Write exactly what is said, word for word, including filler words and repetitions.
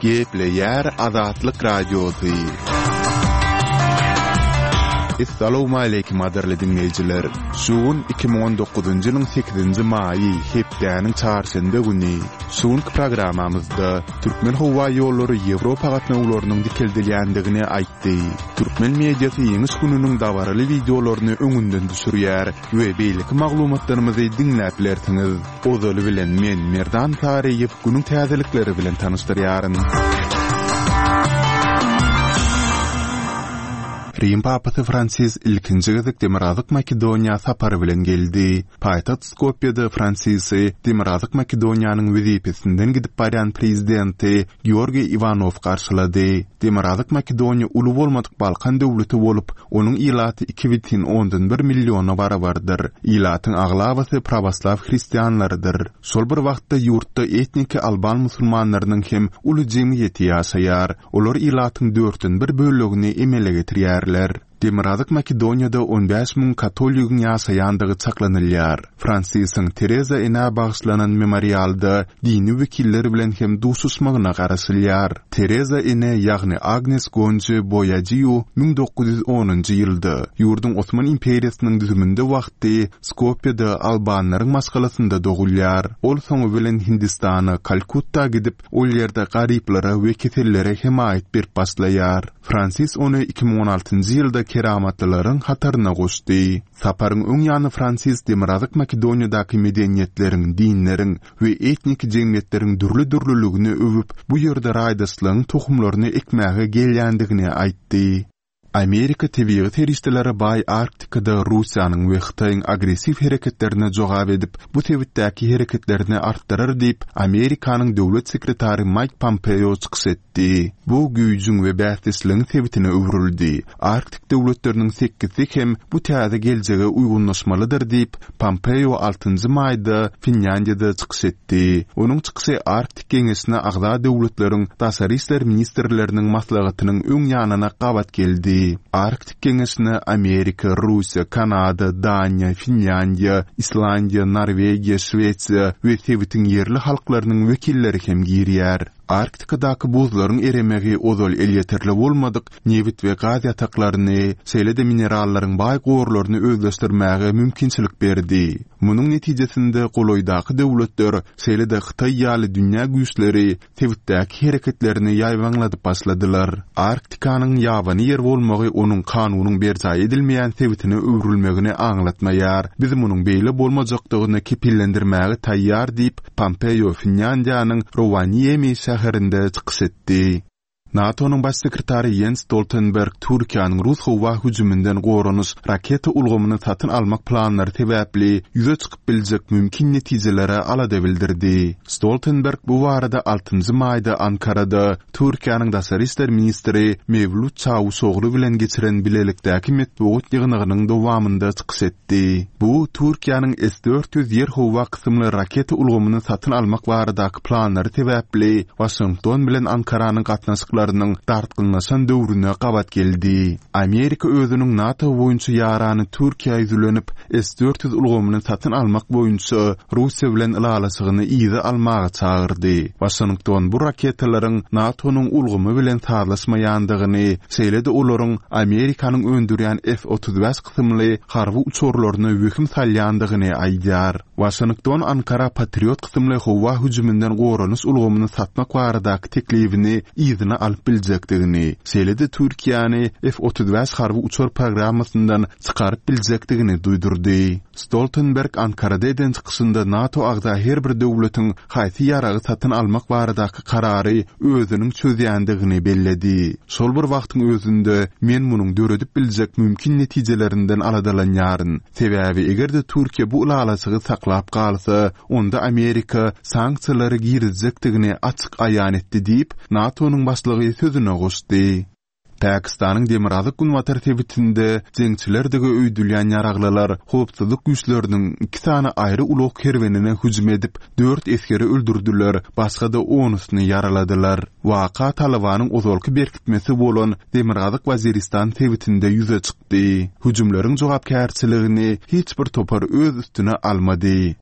Gepleýär Azatlyk Radiosy. Essalawmaleýkim gadyrly diňleýjiler! Şu gün iki müň on dokuzynjy ýylyň sekizinji maýy, hepdäniň çarşenbe güni. Şu günki programmamyzda Türkmenhowaýollary Ýewropa gatnawlarynyň dikeldilýändigini aýtdy. Türkmen mediasy Ýeňiş gününiň dabaraly wideolaryny öňünden düşürýär we beýleki maglumatlarymyzy diňläp bilersiňiz. Ozaly bilen men, Merdan Saryýew, günüň täzelikleri bilen tanyşdyrýaryn. Rim papasy Fransis ilkinji gezek Demirgazyk Makedoniýa sapary bilen geldi. Paýtagt Skopýede Fransisi Demirgazyk Makedoniýanyň wezipesinden gidip barýan prezidenti Georgiý Iwanow garşylady. Demirgazyk Makedoniýa uly bolmadyk Balkan döwleti bolup, onuň ilaty iki bütin ondan bir milliona barabardyr. Ilatyň aglabasy prawoslaw hristianlarydyr. Şol bir wagtda ýurtda etniki alban musulmanlarynyň hem uly jemgyýeti ýaşaýar. Olar ilatyň dörtden bir bölegini emele getirýärler. Demirgazyk Makedoniýada on bäş müň katoligiň ýaşaýandygy çaklanylýar. Fransisiň Tereza enä bagyşlanan memorialda dini wekiller bilen hem duşuşmagyna garaşylýar. Tereza ene, ýagny Agnes Gonji Boýajiu müň dokuz ýüz onunjy ýylda, ýurduň Osman imperiýasynyň düzüminde wagty Skopýada albanlaryň maşgalasynda dogulýar. Ol soňy bilen Hindistana, Kalkutta gidip, ol ýerde garyplara we kesellere hemaýat berip başlaýar. Fransis ony iki müň on altynjy ýylda keramatlylaryň hataryna goşdy. Saparyň öň ýany Fransis Demirgazyk Makedoniýadaky medeniýetleriň, dinleriň we etnik jemgyýetleriň dürli-dürlüligini öwüp, bu ýerde raýdaşlygyň tohumlaryny ekmäge gelýändigini aýtdy. Amerika tebigy serişdelere baý Arktikada Russiýanyň we Hytaýyň agressiw hereketlerine jogap edip, bu sebitdäki hereketlerini artdyrar diýip, Amerikanyň döwlet sekretary Maýk Pompeo çykyş etdi. Bu güýjüň we bäsdeşligiň sebitine öwrüldi. Arktik döwletleriniň sekizisi hem bu täze geljege uýgunlaşmalydyr diýip, Pompeo altynjy maýda Finlýandiýada çykyş etdi. Onuň çykyşy Arktik geňeşine agza döwletleriň daşary işler ministrleriniň maslahatynyň öň ýanyna gabat geldi. Arktik geňeşine Amerika, Russiýa, Kanada, Daniýa, Finlýandiýa, Islandiýa, Norwegiýa, Şwesiýa we sebitiň ýerli halklarynyň wekilleri hem girýär. Arktikadaky buzlaryň eremegi ozal elýeterli bolmadyk nebit we gaz ýataklaryny, şeýle-de minerallaryň baý gorlaryny özleşdirmäge mümkinçilik berdi. Munuň netijesinde golaýdaky döwletler, şeýle-de Hytaý ýaly dünýä güýçleri sebitdäki hereketlerini ýaýbaňladyp başladylar. Arktikanyň ýabany ýer bolmagy onuň kanunyň berjaý edilmeýän sebitine öwrülmegini aňlatmaýar. Biz munuň beýle bolmajakdygyny kepillendirmäge taýýar diýip, Pompeo Finlýandiýanyň Rowaniemi şäherinde çykyş etdi. NATO-nyň baş sekretary Jens Stoltenberg Türkiýäniň rus howa hüjüminden goranyş raketa ulgamyny satyn almak planlary sebäpli ýüze çykyp biljek mümkin netijelere alada bildirdi. Stoltenberg bu barada altynjy maýda Ankarada Türkiýäniň daşary işler ministri Mewlut Çawuşoglu bilen geçiren bilelikdäki metbugat ýygnagynyň dowamynda çykyş etdi. Bu Türkiýäniň S dört ýüz ýer-howa kysymly raketa ulgamyny satyn almak baradaky planlary sebäpli Waşington bilen Ankaranyň gatnaşyklarynyň dartgynlaşan döwrüne gabat geldi. Amerika özüniň NATO boýunça ýarany Türkiýä ýüzlenip, S dört ýüz ulgamyny satyn almak boýunça Russiýa bilen ylalaşygyny yza almaga çagyrdy. Waşington bu raketalaryň NATO-nyň ulgamy bilen sazlaşmaýandygyny, şeýle-de olaryň Amerikanyň öndürýän F otuz bäş kysymly harby uçarlaryna wehim salýandygyny aýdýar. Waşington Ankara Patriot kysymly howa hüjüminden goranyş ulgamyny satmak baradaky teklibini yzyna alyp biljekdigini, şeýle-de Türkiýäni F otuz bäş harby uçar programmasyndan çykaryp biljekdigini duýdurdy. Stoltenberg Ankarada eden çykyşynda NATO agza her bir döwletiň haýsy ýaragy satyn almak baradaky karary özüniň çözýändigini belledi. Şol bir wagtyň özünde men munuň döredip biljek mümkin netijelerinden aladalanýaryn. Sebäbi eger-de Türkiýe bu ylalaşygy saklap galsa, onda Amerika sanksiýalary girizjekdigini açyk aýan etdi diýip, NATO-nyň başlygy sözüne goşdy. Pakistanyň demirgazyk-günbatar sebitinde jeňçilerdigi öýdülýän ýaraglylar howpsuzlyk güýçleriniň iki sany aýry ulag kerwenine hüjüm edip, dört esgeri öldürdiler, başga-da onusyny ýaraladylar. Waka Talybanyň ozalky berkitmesi bolan Demirgazyk Waziristan sebitinde ýüze çykdy. Hüjümleriň jogapkärçiligini hiç bir topar öz üstüne almady.